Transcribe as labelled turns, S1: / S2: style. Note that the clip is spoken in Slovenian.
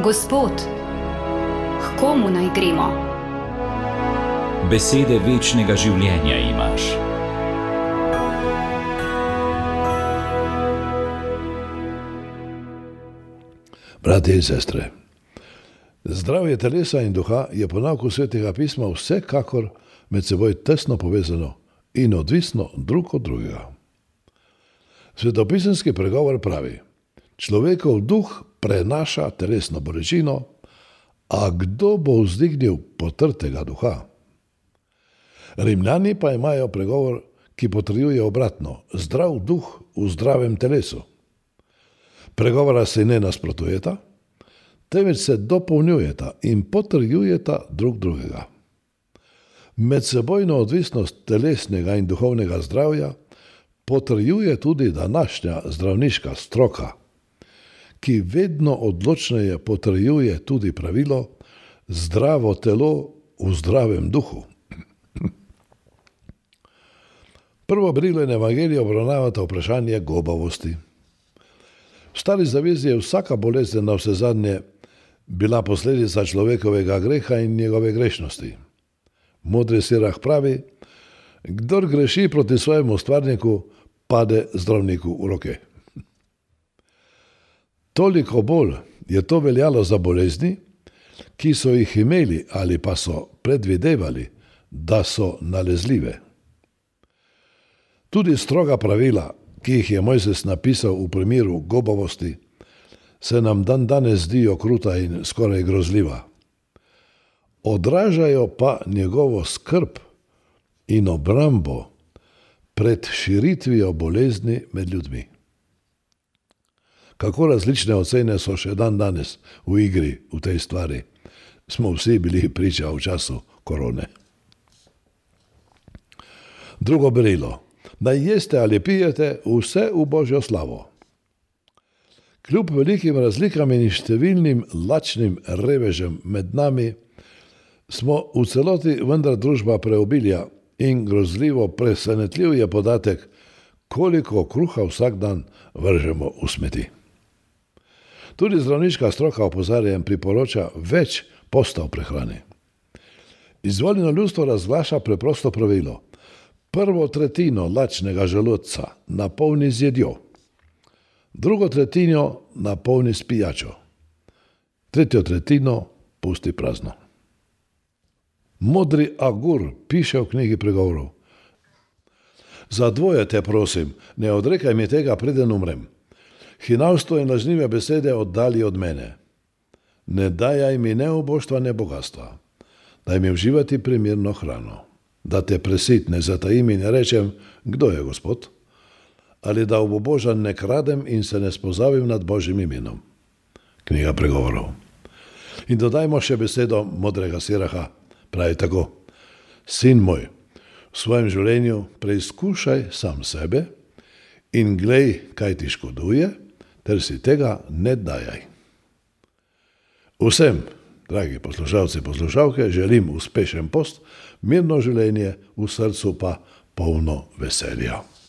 S1: Gospod, k komu naj gremo?
S2: Besede večnega življenja imaš.
S3: Bratje in sestre, zdravje telesa in duha je po nauku Svetega pisma vsekakor med seboj tesno povezano in odvisno drug od drugega. Svetopisemski pregovor pravi: človekov duh prenaša telesno bolečino, a kdo bo vzdignil potrtega duha? Rimljani pa imajo pregovor, ki potrjuje obratno: zdrav duh v zdravem telesu. Pregovora se ne nasprotujeta, temveč se dopolnjujeta in potrjujeta drug drugega. Medsebojno odvisnost telesnega in duhovnega zdravja potrjuje tudi današnja zdravniška stroka, ki vedno odločneje potrjuje tudi pravilo: zdravo telo v zdravem duhu. Prvo berilo in evangelije obravnavata vprašanje gobavosti. V Stari zavezi je vsaka bolezen navsezadnje bila posledica človekovega greha in njegove grešnosti. Modri Sirah pravi: kdor greši proti svojemu stvarniku, pade zdravniku v roke. Toliko bolj je to veljalo za bolezni, ki so jih imeli ali pa so predvidevali, da so nalezljive. Tudi stroga pravila, ki jih je Mojzes napisal v primeru gobavosti, se nam dandanes zdijo kruta in skoraj grozljiva. Odražajo pa njegovo skrb in obrambo pred širitvijo bolezni med ljudmi. Kako različne ocene so še dandanes v igri v tej stvari, smo vsi bili priča v času korone. Drugo berilo: naj jeste ali pijete, vse v Božjo slavo. Kljub velikim razlikam in številnim lačnim revežem med nami, smo v celoti vendar družba preobilja in grozljivo presenetljiv je podatek, koliko kruha vsak dan vržemo v smeti. Tudi zdravniška stroka opozarja in priporoča več postav prehrane. Izvoljeno ljudstvo razglaša preprosto pravilo: prvo tretjino lačnega želodca napolni z jedjo, drugo tretjino napolni s pijačo, tretjo tretjino pusti prazno. Modri Agur piše v knjigi pregovorov: za dvoje te prosim, ne odrekaj mi tega, preden umrem. Hinavstvo in lažnive besede oddali od mene. Ne dajaj mi ne oboštva, ne bogatstva. Daj mi uživati primerno hrano. Da te presitne zatajim in rečem: kdo je Gospod? Ali da obobožan ne kradem in se ne spozavim nad Božjim imenom. Knjiga pregovorov. In dodajmo še besedo modrega Siraha, pravi tako: sin moj, v svojem življenju preizkušaj sam sebe in glej, kaj ti škoduje, ter si tega ne dajaj. Vsem, dragi poslušalci, poslušalke, želim uspešen post, mirno življenje, v srcu pa polno veselja.